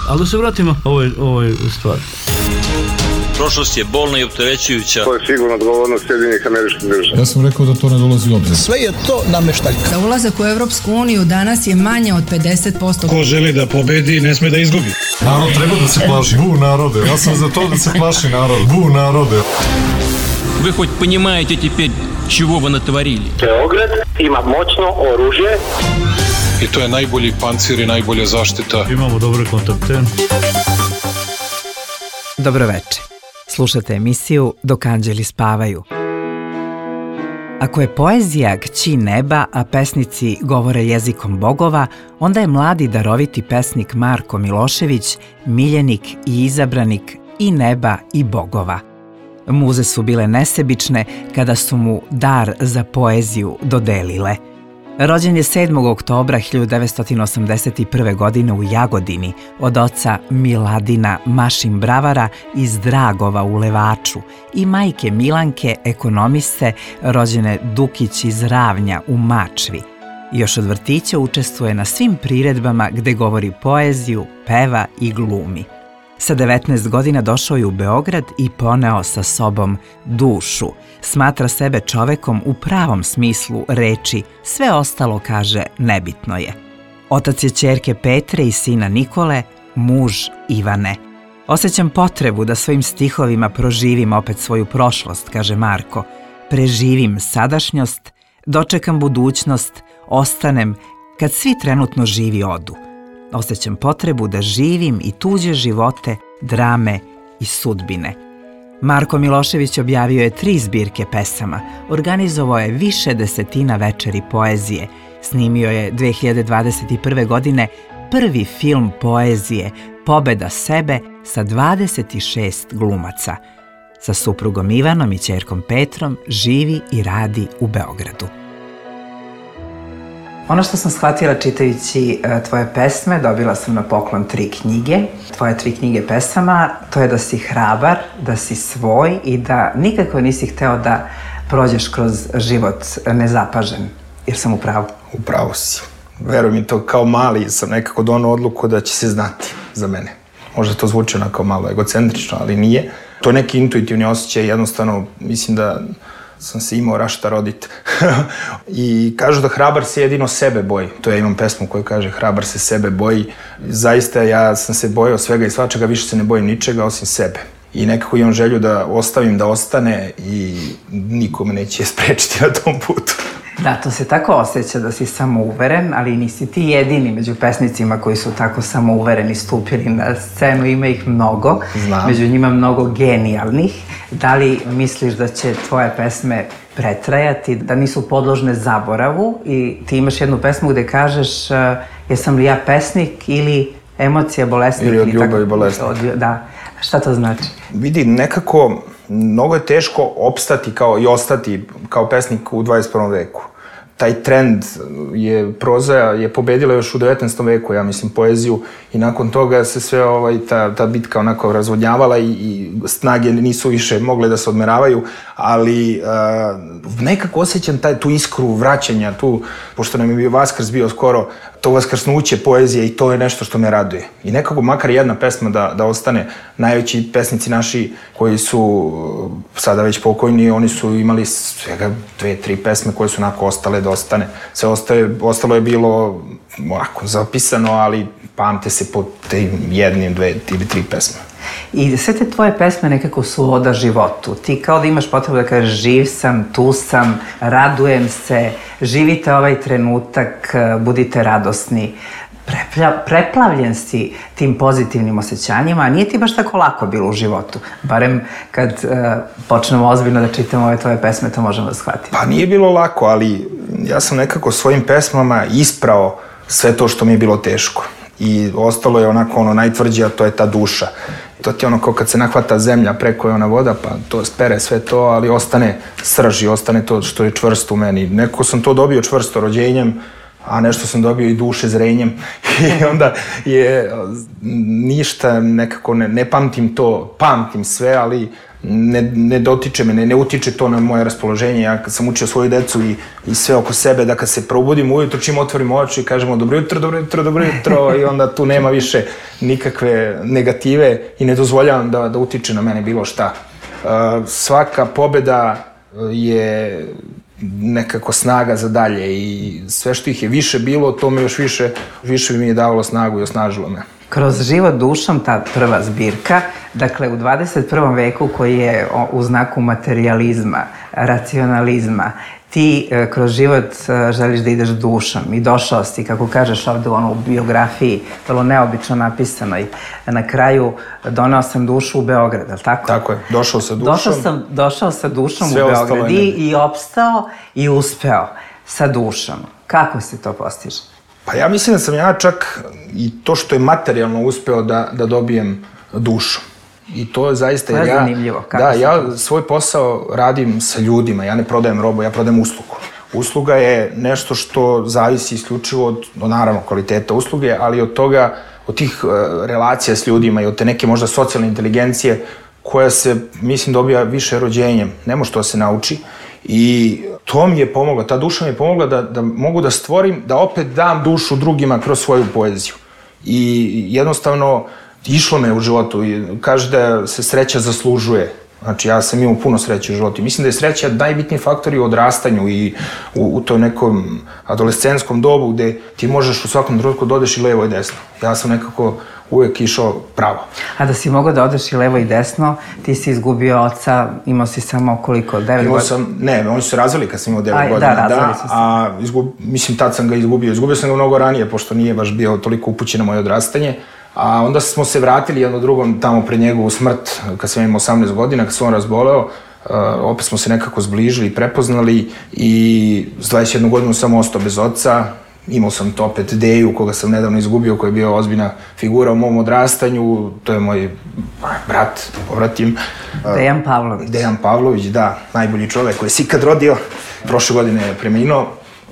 Ali da se vratimo ovoj stvari. Prošlost je bolna i opterećujuća. To je sigurno odgovornost Sjedinjenih Američkih Država. Ja sam rekao da to ne dolazi u obzir. Sve je to nameštaljka. Za ulazak u Evropsku uniju danas je manje od 50%. Ko želi da pobedi, ne sme da izgubi. Narod treba da se plaši. Bu narode. Ja sam za to da se plaši narod. Bu narode. Вы хоть понимаете теперь, чего вы натворили? Beograd ima moćno oružje. I to je najbolji pancir i najbolja zaštita. Imamo dobre kontakte. Dobroveče. Slušate emisiju Dok anđeli spavaju. Ako je poezija kći neba, a pesnici govore jezikom bogova, onda je mladi daroviti pesnik Marko Milošević miljenik i izabranik i neba i bogova. Muze su bile nesebične kada su mu dar za poeziju dodelile. Rođen je 7. oktobra 1981. godine u Jagodini od oca Miladina Mašin Bravara iz Dragova u Levaču i majke Milanke, ekonomiste, rođene Dukić iz Ravnja u Mačvi. Još od vrtića učestvuje na svim priredbama gde govori poeziju, peva i glumi. Sa 19 godina došao je u Beograd i poneo sa sobom dušu. Smatra sebe čovekom u pravom smislu reči, sve ostalo, kaže, nebitno je. Otac je ćerke Petre i sina Nikole, muž Ivane. Osjećam potrebu da svojim stihovima proživim opet svoju prošlost, kaže Marko. Preživim sadašnjost, dočekam budućnost, ostanem kad svi trenutno živi odu. Osjećam potrebu da živim i tuđe živote, drame i sudbine. Marko Milošević objavio je 3 zbirke pesama, organizovao je više desetina večeri poezije, snimio je 2021. godine prvi film poezije Pobeda sebe sa 26 glumaca. Sa suprugom Ivanom i ćerkom Petrom živi i radi u Beogradu. Ono što sam shvatila čitajući tvoje pesme, dobila sam na poklon 3 knjige. Tvoje 3 knjige pesama, to je da si hrabar, da si svoj i da nikako nisi hteo da prođeš kroz život nezapažen. Jer sam u pravu? U pravu si. Veruj mi, to kao mali sam nekako donao odluku da će se znati za mene. Možda to zvuči onako malo egocentrično, ali nije. To je neki intuitivni osjećaj, jednostavno mislim da sam se imao rašta rodit. I kažu da hrabar se jedino sebe boji. To ja imam pesmu koju kaže hrabar se sebe boji. Zaista ja sam se bojao svega i svačega, više se ne bojim ničega osim sebe. I nekako imam želju da ostavim da ostane i niko me neće sprečiti na tom putu. Da, to se tako osjeća da si samouveren, ali nisi ti jedini među pesnicima koji su tako samouvereni stupili na scenu, ima ih mnogo. Znam. Među njima mnogo genijalnih. Da li misliš da će tvoje pesme pretrajati, da nisu podložne zaboravu i ti imaš jednu pesmu gde kažeš jesam li ja pesnik ili emocija bolesnik? Ili od ljubavi bolesnik. Da, šta to znači? Vidi, nekako mnogo je teško opstati kao i ostati kao pesnik u 21. veku. Taj trend je, proza je pobedila još u 19. veku, ja mislim, poeziju i nakon toga se sve ta bitka onako razvodnjavala i snage nisu više mogle da se odmeravaju, ali nekako osjećam tu iskru vraćanja, pošto nam je bio Vaskrs bio skoro, to vaskrsnuće poezije i to je nešto što me raduje. I nekako makar jedna pesma da ostane. Najveći pesnici naši koji su sada već pokojni, oni su imali svega 2-3 pesme koje su onako ostale da ostane. Sve ostalo je bilo ovako zapisano, ali pamte se po tim 1, 2 ili 3 pesme. I sve te tvoje pesme nekako su oda životu. Ti kao da imaš potrebu da kažeš živ sam, tu sam, radujem se, živite ovaj trenutak, budite radosni. Preplavljen si tim pozitivnim osjećanjima, a nije ti baš tako lako bilo u životu. Barem kad počnemo ozbiljno da čitamo ove tvoje pesme, to možemo da shvatimo. Pa nije bilo lako, ali ja sam nekako svojim pesmama isprao sve to što mi je bilo teško. I ostalo je onako najtvrđe, a to je ta duša. To ti je kao kad se nahvata zemlja, preko je ona voda, pa to spere sve to, ali ostane srž i ostane to što je čvrsto u meni. Nekako sam to dobio čvrsto rođenjem, a nešto sam dobio i duše zrenjem. I onda je ništa nekako, ne pamtim to, pamtim sve, ali ne dotiče me, ne utiče to na moje raspoloženje. Ja kad sam učio svoju decu i sve oko sebe, da kad se probudim ujutro, čim otvorim oči i kažemo dobro jutro, i onda tu nema više nikakve negative i ne dozvoljavam da utiče na mene bilo šta. Svaka pobeda je nekako snaga za dalje i sve što ih je više bilo, to me još više mi je davalo snagu i osnažilo me. Kroz život dušom, ta prva zbirka, dakle u 21. veku koji je u znaku materijalizma, racionalizma, ti kroz život želiš da ideš dušom i došao si, kako kažeš ovde u biografiji, vrlo neobično napisanoj, na kraju doneo sam dušu u Beograd, ali tako? Tako je, došao sa dušom. Došao sa dušom u Beograd i opstao i uspeo sa dušom. Kako se to postiže? Pa ja mislim da sam ja čak i to što je materijalno uspeo da dobijem dušu. I to je zaista... To je zanimljivo. Da, ja svoj posao radim sa ljudima, ja ne prodajem robu, ja prodajem uslugu. Usluga je nešto što zavisi isključivo od, naravno, kvaliteta usluge, ali od toga, od tih relacija s ljudima i od te neke možda socijalne inteligencije koja se, mislim, dobija više rođenjem. Ne može to da se nauči. I to mi je pomoglo, ta duša mi je pomogla da mogu da stvorim, da opet dam dušu drugima kroz svoju poeziju. I jednostavno, išlo me u životu i kaže da se sreća zaslužuje. Znači, ja sam imao puno sreće u životu. Mislim da je sreća najbitniji faktor i u odrastanju i u toj nekom adolescentskom dobu gde ti možeš u svakom trenutku da odeš i levo i desno. Ja sam nekako uvek išao pravo. A da si mogao da odeš i levo i desno, ti si izgubio oca, imao si samo koliko, 9 godina? Ne, oni su se razvili kad sam imao 9 godina. Da, razvili su se. Mislim, tad sam ga izgubio. Izgubio sam ga mnogo ranije, pošto nije baš bio toliko upućen na moje odrastanje. A onda smo se vratili jedno drugom tamo pred njegovu smrt, kad sam imao 18 godina, kad se on razboleo. Opet smo se nekako zbližili i prepoznali i s 21 godinu sam ostao bez oca. Imao sam to opet Deju, koga sam nedavno izgubio, koji je bio ozbiljna figura u mom odrastanju. To je moj brat, povratim. Dejan Pavlović. Dejan Pavlović, da, najbolji čovek koji se ikad rodio. Prošle godine je preminuo.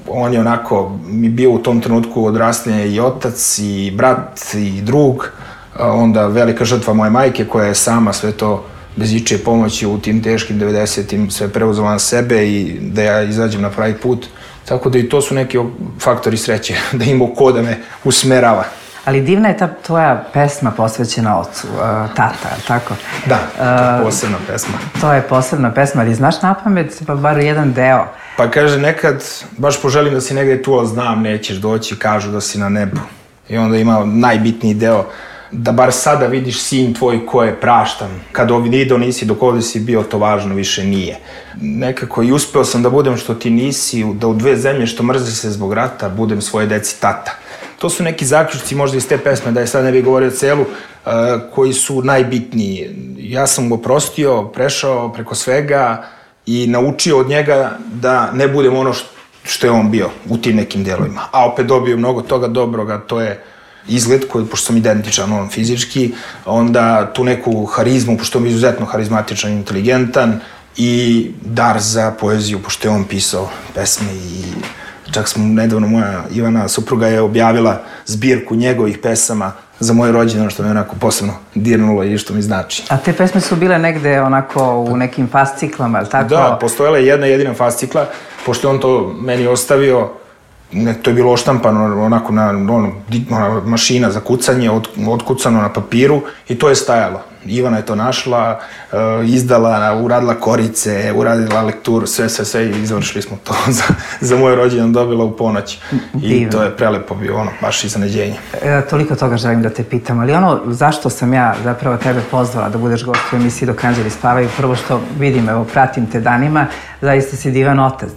On je onako mi bio u tom trenutku odrastanje i otac, i brat, i drug. Onda velika žrtva moje majke koja je sama sve to bez ičije pomoći u tim teškim 90-im sve preuzela na sebe i da ja izađem na pravi put. Tako da i to su neki faktori sreće, da imao ko da me usmerava. Ali divna je ta tvoja pesma posvećena ocu, Tata, tako? Da, to je posebna pesma. To je posebna pesma, ali znaš napamet pa bar jedan deo? Pa kaže, nekad baš poželim da si negde tu, ali znam, nećeš doći, kažu da si na nebu. I onda ima najbitniji deo, da bar sada vidiš sin tvoj ko je praštan. Kad video nisi, dok ovde si bio, to važno više nije. Nekako i uspeo sam da budem što ti nisi, da u dve zemlje što mrze se zbog rata, budem svoje deci tata. To su neki zaključci možda iz te pesme, da je sad ne bih govorio celu, koji su najbitniji. Ja sam mu oprostio, prešao preko svega i naučio od njega da ne budem ono što je on bio u tim nekim delovima. A opet dobio mnogo toga dobroga, to je izgled koji, pošto sam identičan on fizički, onda tu neku harizmu, pošto je izuzetno harizmatičan, inteligentan, i dar za poeziju, pošto je on pisao pesme i čak smo nedavno, moja Ivana supruga je objavila zbirku njegovih pesama za moje rođendan, što me onako posebno dirnulo i što mi znači. A te pesme su bile negde onako u nekim fasciklama, ili tako? Da, postojala je jedna jedina fascikla, pošto je on to meni ostavio, to je bilo oštampano onako na mašina za kucanje, otkucano na papiru i to je stajalo. Ivana je to našla, izdala, uradila korice, uradila lekturu, sve i izvršili smo to za moje rođendan, dobila u ponoć. I to je prelepo bio, baš iznenađenje. Toliko toga želim da te pitam, ali zašto sam ja zapravo tebe pozvala da budeš gost u emisiji Dok anđeli spavaju, prvo što vidim, evo, pratim te danima, zaista si divan otac.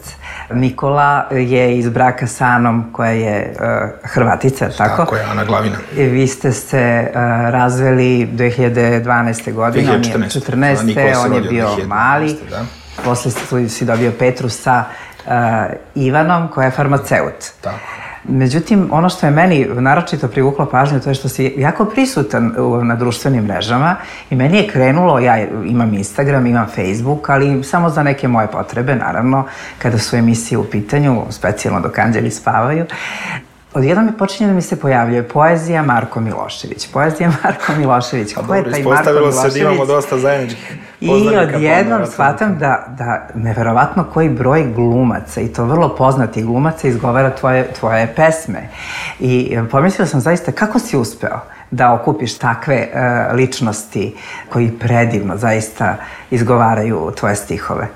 Nikola je iz braka sa Anom, koja je Hrvatica, tako? Tako je, Ana Glavina. Vi ste se razveli 2012. godine, 2014. On je bio mali. Posle si dobio Petru sa Ivanom, koja je farmaceut. Tako. Međutim, ono što je meni naročito privuklo pažnju, to je što si jako prisutan na društvenim mrežama i meni je krenulo, ja imam Instagram, imam Facebook, ali samo za neke moje potrebe, naravno, kada su emisije u pitanju, specijalno Dok anđeli spavaju. Odjednom mi počinje da mi se pojavljuje poezija Marko Milošević. Poezija Marko Milošević. Ko je taj Marko Milošević? Ispostavilo se da imamo dosta zajedničkih poznanika. I odjednom shvatam da neverovatno koji broj glumaca, i to vrlo poznatih glumaca, izgovara tvoje pesme. I pomislila sam zaista kako si uspeo da okupiš takve ličnosti koji predivno zaista izgovaraju tvoje stihove.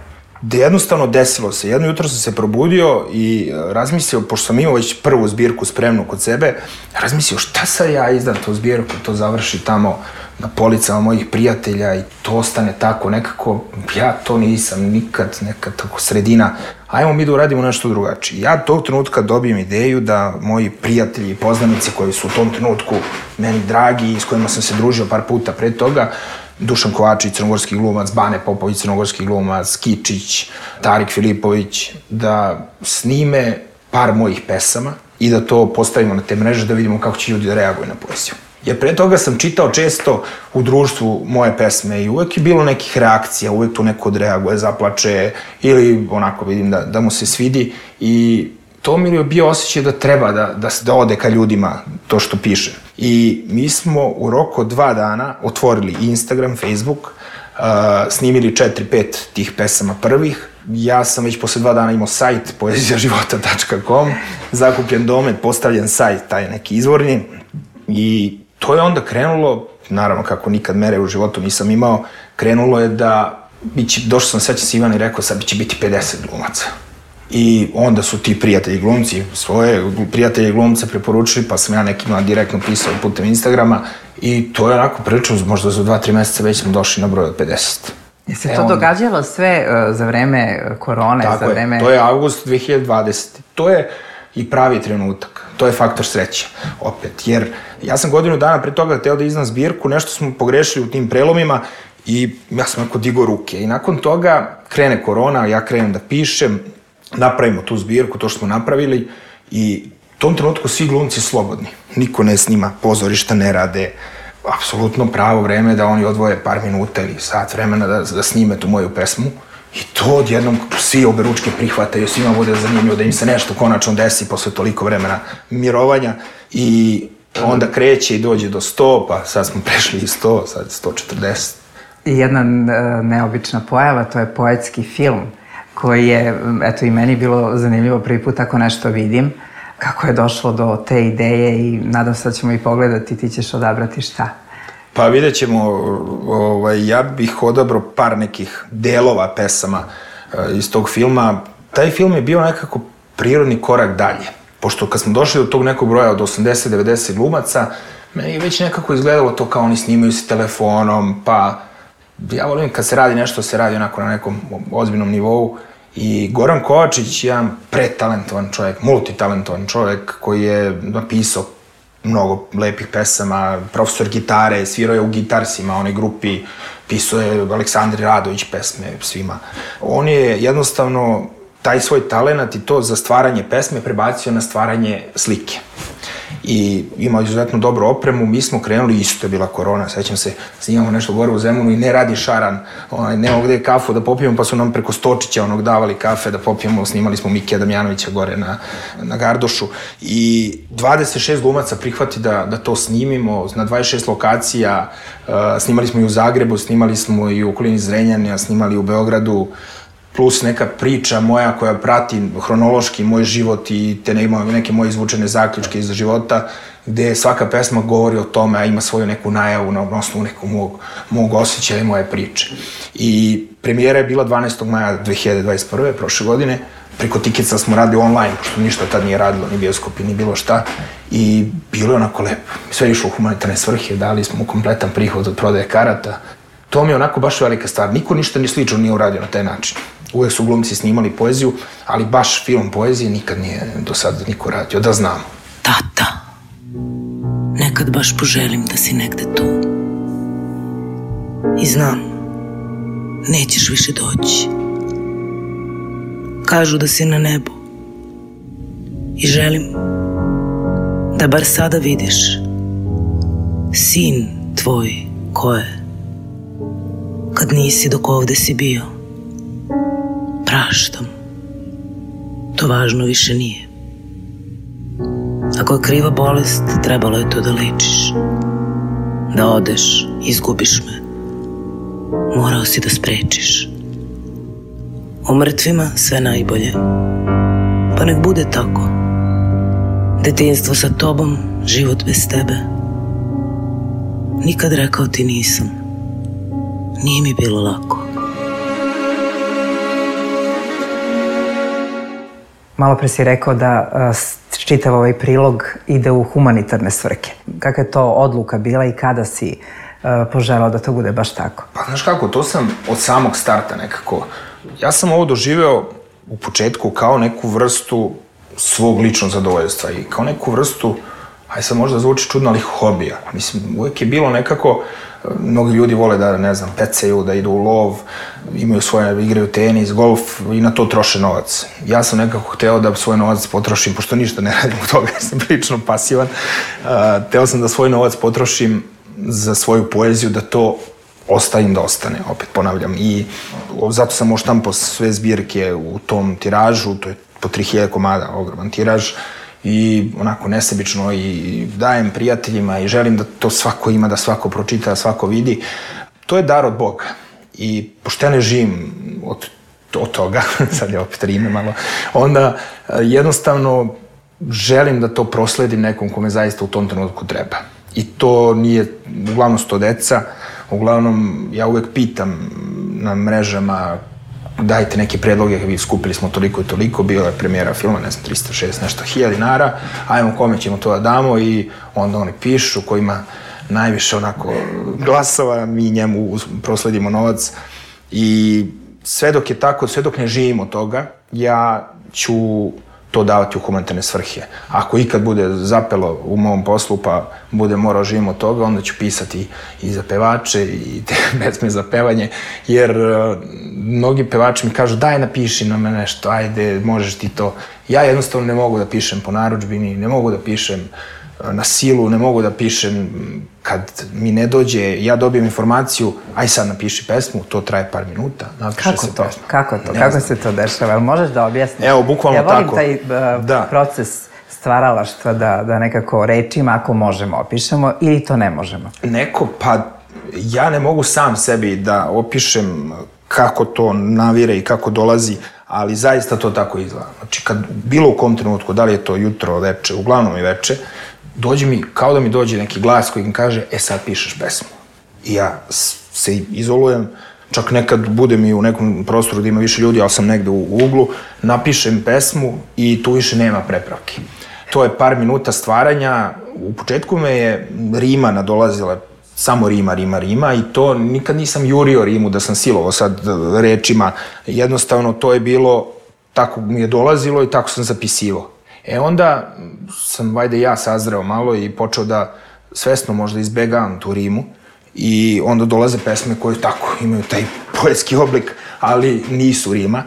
Da jednostavno desilo se. Jedno jutro sam se probudio i razmislio, pošto sam imao već prvu zbirku spremnu kod sebe, razmislio šta sad ja izdam tu zbirku, to završi tamo na policama mojih prijatelja i to ostane tako nekako, ja to nisam nikad, nekad tako sredina. Ajmo mi da uradimo nešto drugačije. Ja tog trenutka dobijem ideju da moji prijatelji i poznanici koji su u tom trenutku meni dragi i s kojima sam se družio par puta pre toga, Dušan Kovačić, crnogorski glumac, Bane Popović, crnogorski glumac, Kičić, Tarik Filipović, da snime par mojih pesama i da to postavimo na te mreže da vidimo kako će ljudi da reaguju na poeziju. Jer pre toga sam čitao često u društvu moje pesme i uvek je bilo nekih reakcija, uvek tu neko odreaguje, zaplače ili onako vidim da mu se svidi i to mi je bio osjećaj da treba da ode ka ljudima to što piše. I mi smo u roku od 2 dana otvorili Instagram, Facebook, snimili 4-5 tih pesama prvih. Ja sam već posle 2 dana imao sajt poezijaživota.com, zakupljen domen, postavljen sajt, taj neki izvorni. I to je onda krenulo, naravno kako nikad mere u životu nisam imao, krenulo je da, došao sam sveća sa Ivan i rekao sad će biti 50 glumaca. I onda su ti prijatelji glumci svoje prijatelje glumce preporučili, pa sam ja nekima direktno pisao putem Instagrama i to je onako prilično, možda za 2-3 meseca već smo došli na broj od 50. Je se to događalo sve za vreme korone? Tako je, to je avgust 2020. To je i pravi trenutak. To je faktor sreće, opet. Jer ja sam godinu dana pre toga hteo da izdam zbirku, nešto smo pogrešili u tim prelomima i ja sam onako digao ruke. I nakon toga krene korona, ja krenem da pišem, napravimo tu zbirku, to što smo napravili i u tom trenutku svi glumci slobodni. Niko ne snima, pozorišta ne rade, apsolutno pravo vreme da oni odvoje par minuta ili sat vremena da snime tu moju pesmu. I to odjednom svi oberučke prihvataju, svima bude zanimljivo da im se nešto konačno desi posle toliko vremena mirovanja i onda kreće i dođe do 100, pa sad smo prešli i 100, sad 140. Jedna neobična pojava, to je poetski film koji je, eto i meni bilo zanimljivo prvi put ako nešto vidim, kako je došlo do te ideje i nadam se da ćemo i pogledati, ti ćeš odabrati šta. Pa vidjet ćemo, ja bih odabrao par nekih delova pesama iz tog filma. Taj film je bio nekako prirodni korak dalje, pošto kad smo došli do tog nekog broja od 80-90 glumaca, meni je već nekako izgledalo to kao oni snimaju se telefonom, pa ja volim kad se radi nešto, se radi onako na nekom ozbiljnom nivou. I Goran Kovačić je jedan pretalentovan čovjek, multitalentovan čovjek koji je napisao mnogo lepih pesama, profesor gitare, svirao je u Gitarsima, onoj grupi, pisao je Aleksandri Radović pesme svima. On je jednostavno taj svoj talenat i to za stvaranje pesme prebacio na stvaranje slike. I imao izuzetno dobru opremu, mi smo krenuli, isto je bila korona, sećam se, snimamo nešto gore u Zemunu i ne radi šaran, nema gde kafu da popijemo, pa su nam preko Stočića davali kafe da popijemo, snimali smo Mikija Damjanovića gore na Gardošu i 26 glumaca prihvati da to snimimo na 26 lokacija, snimali smo i u Zagrebu, snimali smo i u okolini Zrenjanina, snimali u Beogradu, plus neka priča moja koja prati hronološki moj život i te neke moje izvučene zaključke iz života, gde svaka pesma govori o tome, a ima svoju neku najavu na osnovu nekog mog osjećaja i moje priče. I premijera je bila 12. maja 2021. prošle godine. Preko Tikica smo radili online, pošto ništa tad nije radilo, ni bioskopi, ni bilo šta. I bilo je onako lepo. Sve je išlo u humanitarne svrhe, dali smo kompletan prihod od prodaje karata. To mi je onako baš velika stvar. Niko ništa ni slično nije uradio na taj način. Uvek su glumci snimali poeziju, ali baš film poezije nikad nije do sada niko radio, da znamo. Tata, nekad baš poželim da si negde tu. I znam, nećeš više doći. Kažu da si na nebu. I želim da bar sada vidiš sin tvoj ko je. Kad nisi dok ovde si bio, praštam, to važno više nije. Ako je kriva bolest, trebalo je to da lečiš. Da odeš, izgubiš me. Morao si da sprečiš. O mrtvima sve najbolje. Pa nek bude tako. Detinjstvo sa tobom, život bez tebe. Nikad rekao ti nisam. Nije mi bilo lako. Malo pre si rekao da čitav ovaj prilog ide u humanitarne svrhe. Kakva je to odluka bila i kada si poželao da to bude baš tako? Pa znaš kako, to sam od samog starta nekako. Ja sam ovo doživeo u početku kao neku vrstu svog ličnog zadovoljstva i kao neku vrstu, aj sad možda zvuči čudno, ali hobija. Mislim, uvijek je bilo nekako, mnogi ljudi vole da, ne znam, pecaju, da idu u lov, imaju svoje, igraju tenis, golf i na to troše novac. Ja sam nekako hteo da svoj novac potrošim, pošto ništa ne radim od toga, jer sam prilično pasivan, hteo sam da svoj novac potrošim za svoju poeziju, da to ostavim da ostane, opet ponavljam. I zato sam oštampao sve zbirke u tom tiražu, to je po 3000 komada, ogroman tiraž, i onako nesebično i dajem prijateljima i želim da to svako ima, da svako pročita, da svako vidi. To je dar od Boga. I pošto ja ne živim od toga, sad je opet rime malo, onda jednostavno želim da to prosledim nekom kome zaista u tom trenutku treba. I to nije, uglavnom su to deca, uglavnom ja uvek pitam na mrežama, dajte neke predloge, skupili smo toliko i toliko, bila je premijera filma, ne znam, 360 nešto $1000, ajmo kome ćemo to da damo, i onda oni pišu, ko ima najviše onako glasova, mi njemu prosledimo novac. I sve dok je tako, sve dok ne živimo od toga, ja ću to davati u humanitarne svrhe. Ako ikad bude zapelo u mom poslu, pa bude morao živim od toga, onda ću pisati i za pevače i te pesme za pevanje, jer mnogi pevači mi kažu daj napiši na me nešto, ajde, možeš ti to. Ja jednostavno ne mogu da pišem po narudžbini, ne mogu da pišem na silu, ne mogu da pišem kad mi ne dođe, ja dobijem informaciju, aj sad napiši pesmu, to traje par minuta, napiše se pesma. Kako to? Kako se to dešava? Jel možeš da objasniš? Evo, bukvalno tako. Ja volim taj proces stvaralaštva da nekako rečima, ako možemo, opišemo ili to ne možemo? Pa ja ne mogu sam sebi da opišem kako to navire i kako dolazi, ali zaista to tako izgleda. Znači, kad bilo u kom trenutku, da li je to jutro, veče, uglavnom i veče, dođe mi, kao da mi dođe neki glas koji mi kaže, sad pišeš pesmu. I ja se izolujem, čak nekad budem i u nekom prostoru da ima više ljudi, ali sam negde u uglu, napišem pesmu i tu više nema prepravki. To je par minuta stvaranja. U početku me je rima nadolazila, samo rima i to nikad nisam jurio rimu da sam silovao sad rečima. Jednostavno to je bilo, tako mi je dolazilo i tako sam zapisivao. Onda sam, vajde ja, sazreo malo i počeo da svesno možda izbegavam tu rimu i onda dolaze pesme koje tako imaju taj poetski oblik, ali nisu rima.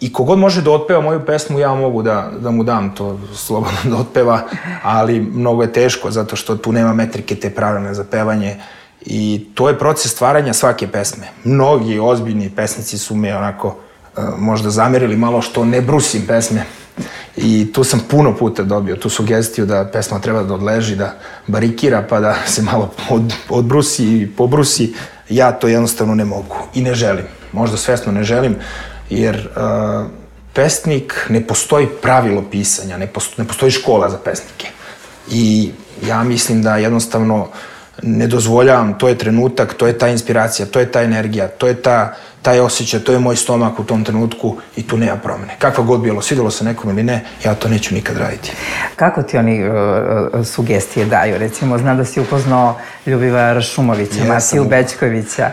I kogod može da otpeva moju pesmu, ja mogu da mu dam to slobodno da otpeva, ali mnogo je teško zato što tu nema metrike te pravilne za pevanje i to je proces stvaranja svake pesme. Mnogi ozbiljni pesnici su me onako možda zamerili malo što ne brusim pesme i tu sam puno puta dobio tu sugestiju da pesma treba da odleži, da barikira pa da se malo odbrusi i pobrusi. Ja to jednostavno ne mogu i ne želim, možda svesno ne želim, jer pesnik, ne postoji pravilo pisanja, ne postoji škola za pesnike. I ja mislim da jednostavno ne dozvoljavam, to je trenutak, to je ta inspiracija, to je ta energija, to je taj osjećaj, to je moj stomak u tom trenutku i tu nema promene. Kakva god bilo, svidelo se nekom ili ne, ja to neću nikad raditi. Kako ti oni sugestije daju? Recimo, znam da si upoznao Ljubivoja Ršumovića, Matiju Bećkovića,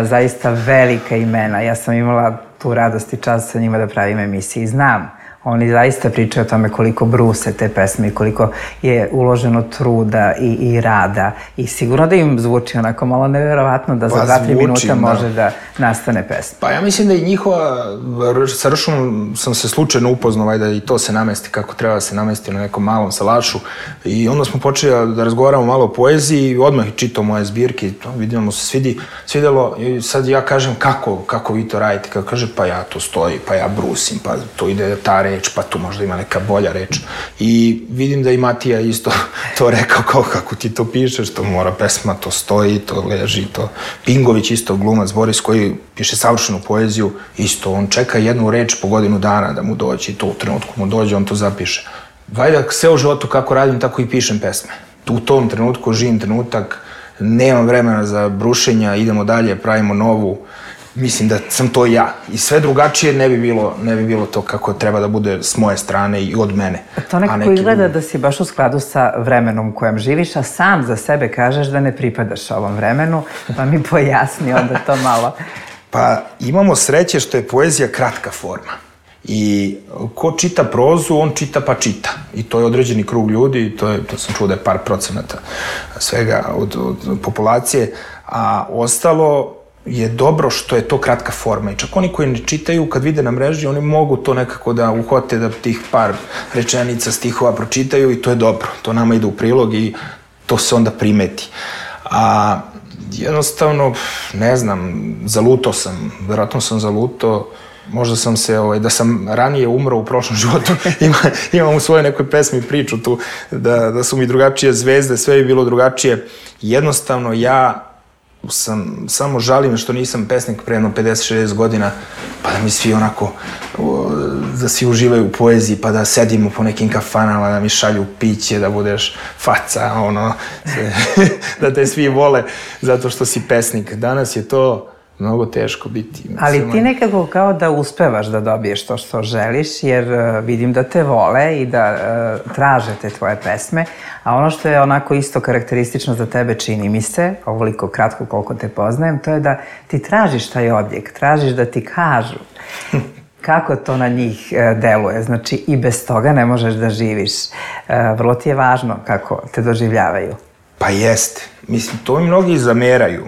zaista velika imena. Ja sam imala tu radost i čast sa njima da pravim emisije i znam. Oni zaista pričaju o tome koliko bruse te pesme i koliko je uloženo truda i rada. I sigurno da im zvuči onako malo neverovatno da za 2-3 minuta može da nastane pesma. Pa ja mislim da i njihova, sa Ršumom sam se slučajno upoznao da i to se namesti kako treba da se namesti na nekom malom salašu. I onda smo počeli da razgovaramo malo o poeziji i odmah čitao moje zbirke. Vidimo se svidelo i sad ja kažem kako vi to radite. Kako kaže, pa ja to stoji, pa ja brusim, pa to ide tare reč, pa tu možda ima neka bolja reč. I vidim da i Matija isto to rekao, kako ti to pišeš, to mora pesma, to stoji, to leži, to... Pingović isto, glumac Boris, koji piše savršenu poeziju, isto, on čeka jednu reč po godinu dana da mu dođe i to u trenutku mu dođe, on to zapiše. Valjda sve u životu kako radim, tako i pišem pesme. U tom trenutku živim trenutak, nemam vremena za brušenja, idemo dalje, pravimo novu. Mislim da sam to ja. I sve drugačije ne bi bilo to kako treba da bude s moje strane i od mene. To nekako izgleda da si baš u skladu sa vremenom u kojem živiš, a sam za sebe kažeš da ne pripadaš ovom vremenu, pa mi pojasni onda to malo. Pa imamo sreće što je poezija kratka forma. I ko čita prozu, on čita pa čita. I to je određeni krug ljudi, to sam čuo da je par procenata svega od populacije, a ostalo je dobro što je to kratka forma. I čak oni koji ne čitaju, kad vide na mreži, oni mogu to nekako da uhote, da tih par rečenica, stihova pročitaju i to je dobro. To nama ide u prilog i to se onda primeti. A jednostavno, ne znam, zalutao sam, verovatno sam zalutao. Možda sam se, da sam ranije umro u prošlom životu, imam u svojoj nekoj pesmi priču tu, da su mi drugačije zvezde, sve je bilo drugačije. Jednostavno, ja samo žalim što nisam pesnik pre jedno 50-60 godina, pa da mi svi onako, da svi uživaju u poeziji, pa da sedimo po nekim kafanama, da mi šalju piće, da budeš faca, da te svi vole zato što si pesnik. Danas je to mnogo teško biti. Ali ti nekako kao da uspevaš da dobiješ to što želiš, jer vidim da te vole i da traže te tvoje pesme, a ono što je onako isto karakteristično za tebe, čini mi se, ovoliko kratko koliko te poznajem, to je da ti tražiš taj odjek, tražiš da ti kažu kako to na njih deluje. Znači, i bez toga ne možeš da živiš. Vrlo ti je važno kako te doživljavaju. Pa jeste. Mislim, to mi mnogi zameraju.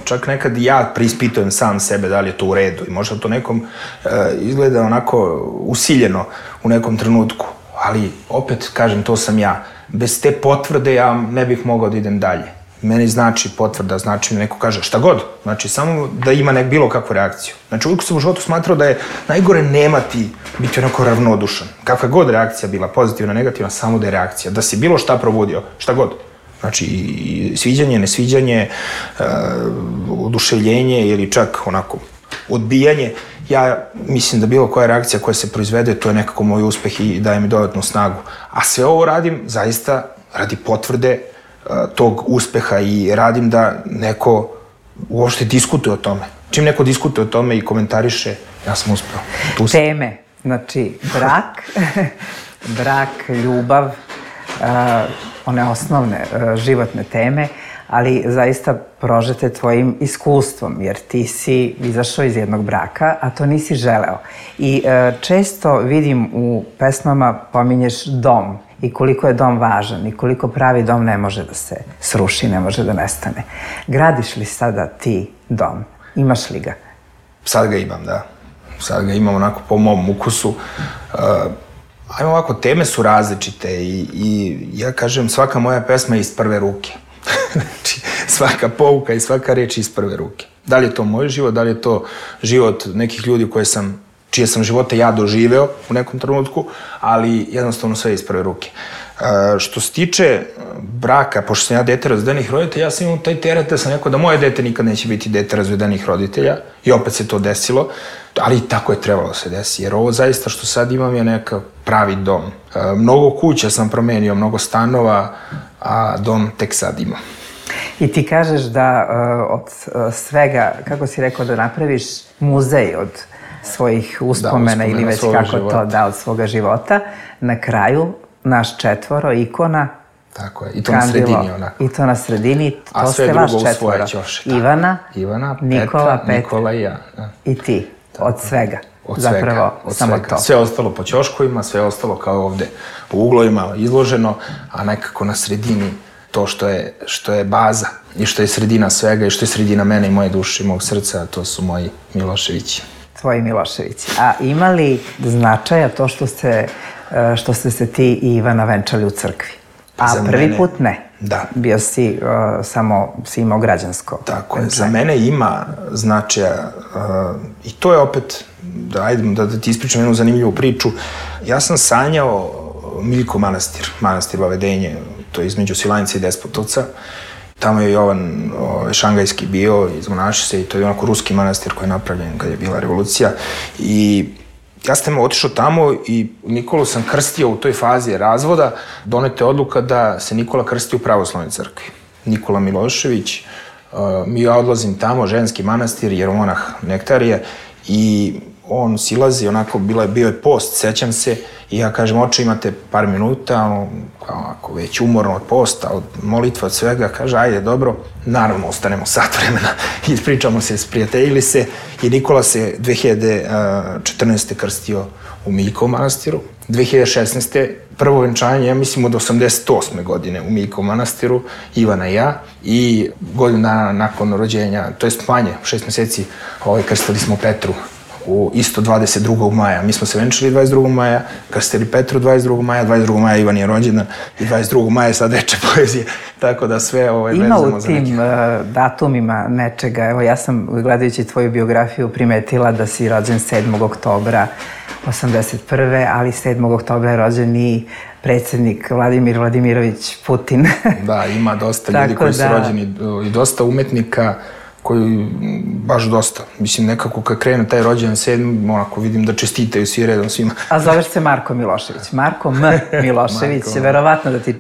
Čak nekad ja preispitujem sam sebe da li je to u redu i možda to nekom izgleda onako usiljeno u nekom trenutku, ali opet kažem, to sam ja. Bez te potvrde ja ne bih mogao da idem dalje. Meni znači potvrda, znači mi neko kaže šta god, znači samo da ima bilo kakvu reakciju. Znači uvijek sam u životu smatrao da je najgore nemati, biti onako ravnodušan. Kakva god reakcija bila, pozitivna, negativna, samo da je reakcija, da si bilo šta probudio, šta god. Znači, i sviđanje, nesviđanje, oduševljenje ili čak onako odbijanje. Ja mislim da bilo koja reakcija koja se proizvede, to je nekako moj uspeh i daje mi dodatnu snagu. A sve ovo radim zaista radi potvrde tog uspeha i radim da neko uopšte diskutuje o tome. Čim neko diskutuje o tome i komentariše, ja sam uspeo. Teme, znači brak, ljubav, one osnovne životne teme, ali zaista prožete tvojim iskustvom, jer ti si izašao iz jednog braka, a to nisi želeo. I često vidim u pesmama pominješ dom i koliko je dom važan i koliko pravi dom ne može da se sruši, ne može da nestane. Gradiš li sada ti dom? Imaš li ga? Sad ga imam, da. Sad ga imam onako po mom ukusu. Ajmo ovako, teme su različite i ja kažem, svaka moja pesma je iz prve ruke. Znači, svaka pouka i svaka reč iz prve ruke. Da li je to moj život, da li je to život nekih ljudi čije sam živote ja doživeo u nekom trenutku, ali jednostavno sve iz prve ruke. Što se tiče braka, pošto sam ja dete razvedenih roditelja, ja sam imao taj teret da sam rekao da moje dete nikad neće biti dete razvedenih roditelja i opet se to desilo, ali i tako je trebalo da se desi, jer ovo zaista što sad imam je neka pravi dom. Mnogo kuća sam promenio, mnogo stanova, a dom tek sad imam. I ti kažeš da od svega, kako si rekao, da napraviš muzej od svojih uspomena ili već kako to da od svoga života, na kraju naš četvoro, ikona, tako je, i to na sredini onako. I to na sredini, to ste vaš četvoro. Ivana, Nikola, Nikola i ja. I ti, od svega. Zapravo, samo to. Sve ostalo po ćoškovima, sve ostalo kao ovde u uglovima izloženo, a nekako na sredini to što je baza i što je sredina svega i što je sredina mene i moje duše i mog srca, to su moji Miloševići. Tvoji Miloševići. A ima li značaja to što ste se ti i Ivana venčali u crkvi? A prvi put ne. Da. Bio si, samo si imao građansko. Tako je, za mene ima značaja i to je opet, da ti ispričam jednu zanimljivu priču. Ja sam sanjao Miljko manastir Vavedenje, to je između Svilajnca i Despotovca. Tamo je Jovan Šangajski bio, izmonašio se i to je onako ruski manastir koji je napravljen kad je bila revolucija. I ja sam otišao tamo i Nikolu sam krstio u toj fazi razvoda. Doneta je odluka da se Nikola krsti u pravoslavnoj crkvi. Nikola Milošević, ja odlazim tamo, ženski manastir, jeromonah Nektarije, i on silazi, onako, bio je post, sećam se, i ja kažem, oče, imate par minuta, kao već umorno od posta, od molitva, od svega, kaže, ajde, dobro, naravno, ostanemo sat vremena, ispričamo se, sprijateljili se, i Nikola se 2014. krstio u Miljkovom manastiru, 2016. prvo venčanje, ja mislim, od 88. godine u Miljkovom manastiru, Ivana i ja, i godinu dana nakon rođenja, to jest manje, 6 meseci, krstili smo Petru, isto 22. maja. Mi smo se venčali 22. maja, krstili Petru 22. maja, 22. maja Ivan je rođendan i 22. maja sad reče poezije. Tako da sve vezamo za neke. Ima u tim datumima nečega. Evo, ja sam, gledajući tvoju biografiju, primetila da si rođen 7. oktobra 81. ali 7. oktobra je rođen i predsjednik Vladimir Vladimirović Putin. Da, ima dosta ljudi koji su rođeni i dosta umetnika koji baš dosta. Mislim, nekako kad krene taj rođendan 7. onako vidim da čestitaju svi redom svima. A zoveš se Marko Milošević. Marko M. Milošević, verovatno da ti...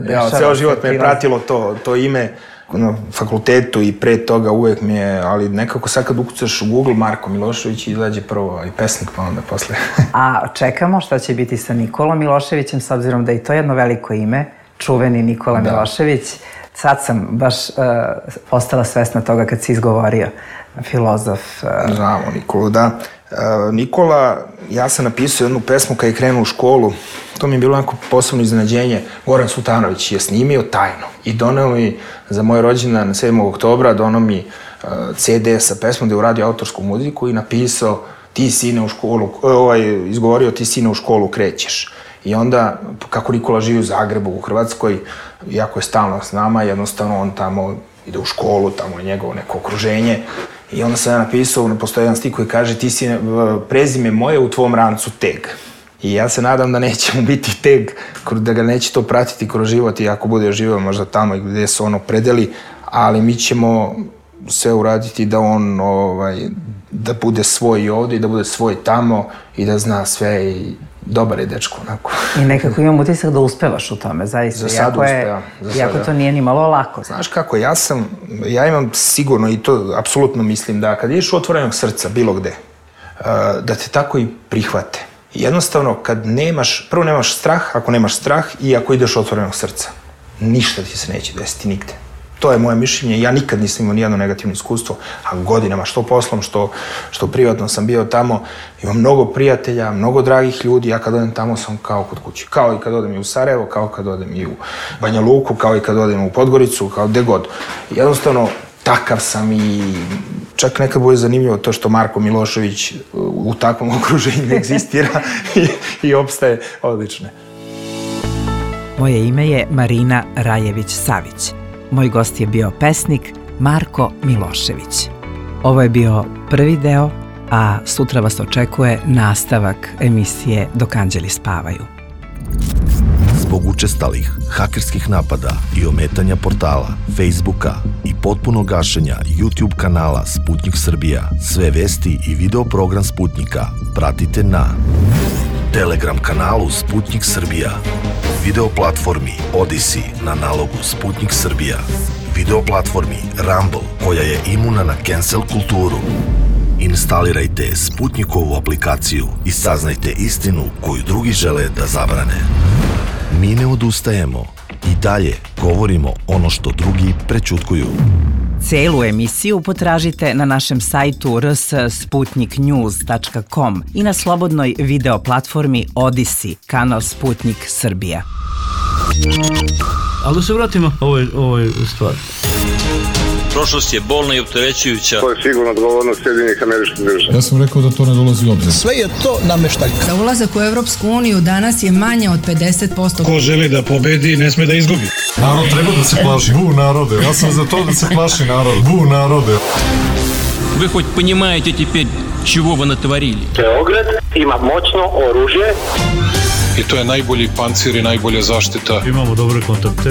Ja, ceo život me je pratilo to ime na fakultetu i pre toga uvek mi je, ali nekako sad kad ukucaš u Google Marko Milošević izađe prvo i pesnik, pa onda posle. A čekamo šta će biti sa Nikolom Miloševićem, s obzirom da je to jedno veliko ime, čuveni Nikola Milošević. Sad sam baš postala svesna toga kad si izgovorio, filozof. Znamo Nikolu, da. Nikola, ja sam napisao jednu pesmu kad je krenuo u školu, to mi je bilo onako posebno iznenađenje. Goran Sultanović je snimio tajno i doneo mi za moj rođendan 7. oktobra, doneo mi CD sa pesmom gde je uradio autorsku muziku i napisao ti sine u školu, izgovorio ti sine u školu krećeš. I onda, kako Nikola živi u Zagrebu, u Hrvatskoj, jako je stalno s nama, jednostavno on tamo ide u školu, tamo je njegovo neko okruženje. I onda sam ja napisao, postoji jedan stih koji kaže ti si prezime moje u tvom rancu teg. I ja se nadam da neće mu biti teg, da ga neće to pratiti kroz život i ako bude živio možda tamo gde se ono predeli, ali mi ćemo sve uraditi da on, da bude svoj i ovde i da bude svoj tamo i da zna sve i dobar je dečko, onako. I nekako imam utisak da uspevaš u tome, zaista. Za sad uspevam. Iako to nije ni malo lako. Znaš kako, ja imam sigurno i to apsolutno mislim da kad ideš u otvorenog srca, bilo gde, da te tako i prihvate. Jednostavno, prvo nemaš strah, ako nemaš strah i ako ideš u otvorenog srca, ništa ti se neće desiti nigde. To je moje mišljenje. Ja nikad nisam imao nijedno negativno iskustvo, a godinama, što poslom, što privatno sam bio tamo. Imam mnogo prijatelja, mnogo dragih ljudi. Ja kad odem tamo sam kao kod kuće. Kao i kad odem i u Sarajevo, kao kad odem i u Banja Luku, kao i kad odem u Podgoricu, kao gde god. Jednostavno, takav sam i čak nekad bude zanimljivo to što Marko Milošević u takvom okruženju egzistira i opstaje odlično. Moje ime je Marina Rajević-Savić. Moj gost je bio pesnik Marko Milošević. Ovo je bio prvi deo, a sutra vas očekuje nastavak emisije Dok anđeli spavaju. Zbog učestalih hakerskih napada i ometanja portala, Facebooka i potpunog gašenja YouTube kanala Sputnik Srbija, sve vesti i video program Sputnika pratite na Telegram kanalu Sputnik Srbija, video platformi Odyssey na nalogu Sputnik Srbija, video platformi Rumble koja je imuna na cancel kulturu. Instalirajte Sputnikovu aplikaciju i saznajte istinu koju drugi žele da zabrane. Mi ne odustajemo i dalje govorimo ono što drugi prećutkuju. Celu emisiju potražite na našem sajtu rs.sputniknews.com i na slobodnoj video platformi Odyssey, kanal Sputnik Srbija. Ali da se vratimo ovoj stvari. prošlost je bolna i opterećujuća. To je sigurno odgovornost Sjedinjenih Američkih Država. Ja sam rekao da to ne dolazi u obzir. Sve je to nameštaljka. Za ulazak u Evropsku uniju danas je manje od 50%. Ko želi da pobedi, ne sme da izgubi. Narod treba da se plaši. Bu narode. Ja sam za to da se plaši narod. Bu narode. Вы хоть понимаете теперь, чего вы натворили? Beograd ima moćno oružje. I to je najbolji pancir i najbolja zaštita. Imamo dobre kontakte.